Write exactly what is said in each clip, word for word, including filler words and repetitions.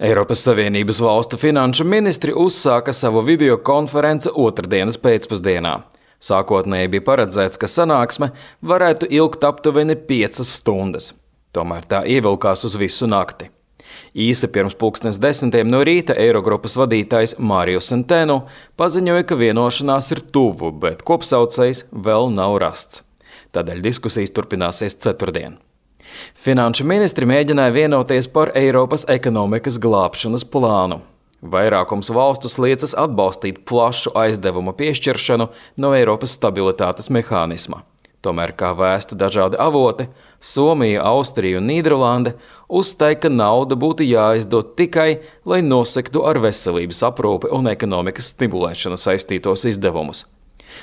Eiropas Savienības valstu finanšu ministri uzsāka savu videokonferenci otrdienas pēcpusdienā. Sākotnēji bija paredzēts, ka sanāksme varētu ilgt aptuveni piecas stundas. Tomēr tā ievilkās uz visu nakti. Īsi pirms pulkstens desmitiem no rīta Eirogrupas vadītājs Mario Centeno paziņoja, ka vienošanās ir tuvu, bet kopsaucējs vēl nav rasts. Tādēļ diskusijas turpināsies ceturtdien. Finanšu ministri mēģināja vienoties par Eiropas ekonomikas glābšanas plānu. Vairākums valstu sliecas atbalstīt plašu aizdevumu piešķiršanu no Eiropas stabilitātes mehānisma. Tomēr, kā vēsta dažādi avoti, Somija, Austrija un Nīderlande uzstāja, ka nauda būtu jāizdod tikai, lai nosektu ar veselības aprūpi un ekonomikas stimulēšanu saistītos izdevumus.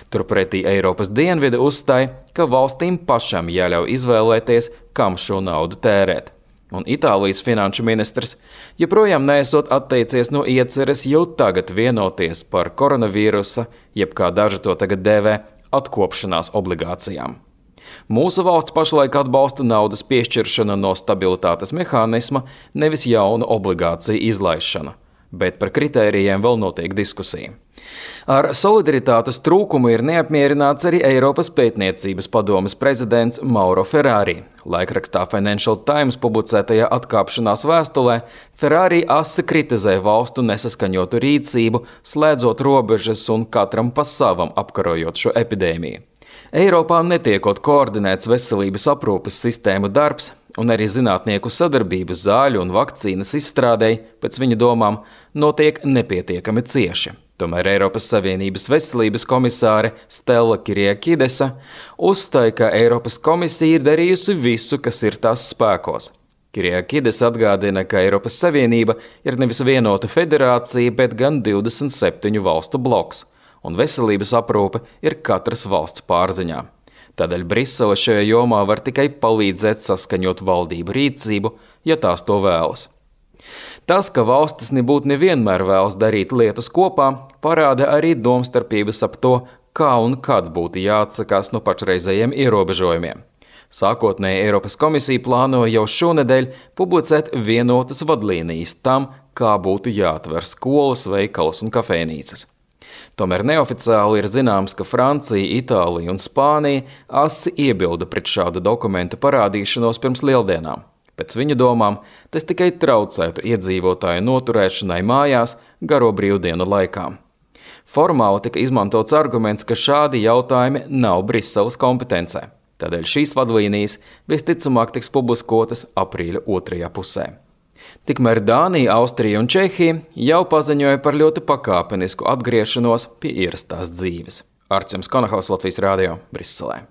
Turpretī Eiropas dienvidi uzstāja, ka valstīm pašam jāļauj izvēlēties, kam šo naudu tērēt. Un Itālijas finanšu ministrs joprojām neesot atteicies no ieceres jau tagad vienoties par koronavīrusa, jeb kā daži to tagad dēvē, atkopšanās obligācijām. Mūsu valsts pašlaik atbalsta naudas piešķiršanu no stabilitātes mehānisma, nevis jaunu obligāciju izlaišanu, bet par kritērijiem vēl notiek diskusija. Ar solidaritātes trūkumu ir neapmierināts arī Eiropas pētniecības padomes prezidents Mauro Ferrari. Laikrakstā Financial Times publicētajā atkāpšanās vēstulē Ferrari asi kritizē valstu nesaskaņotu rīcību, slēdzot robežas un katram pa savam apkarojot šo epidēmiju. Eiropā netiekot koordinēts veselības aprūpes sistēmu darbs, un arī zinātnieku sadarbības zāļu un vakcīnas izstrādei, pēc viņa domām, notiek nepietiekami cieši. Tomēr Eiropas Savienības veselības komisāre Stella Kyriakidesa uzstāja, ka Eiropas komisija ir darījusi visu, kas ir tās spēkos. Kyriakidesa atgādina, ka Eiropas Savienība ir nevis vienota federācija, bet gan divdesmit septiņu valstu bloks, un veselības aprūpe ir katras valsts pārziņā. Tādēļ Brisele šajā jomā var tikai palīdzēt saskaņot valdību rīcību, ja tās to vēlas. Tas, ka valstis nebūtu nevienmēr vēlas darīt lietas kopā, parāda arī domstarpības ap to, kā un kad būtu jāatsakās no pašreizējiem ierobežojumiem. Sākotnēji Eiropas komisija plānoja jau šonedēļ publicēt vienotas vadlīnijas tam, kā būtu jāatver skolas, veikalas un kafejnīcas. Tomēr neoficiāli ir zināms, ka Francija, Itālija un Spānija asi iebilda pret šādu dokumentu parādīšanos pirms lieldienām. Pēc viņu domām, tas tikai traucētu iedzīvotāju noturēšanai mājās garo brīvdienu laikā. Formāli tika izmantots arguments, ka šādi jautājumi nav Briseles kompetencē. Tādēļ šīs vadlīnijas visticamāk tiks publiskotas aprīļa otrajā pusē. Tikmēr Dānija, Austrija un Čehija jau paziņoja par ļoti pakāpenisku atgriešanos pie ierastās dzīves. Artjums Konahaus, Latvijas radio, Briselē.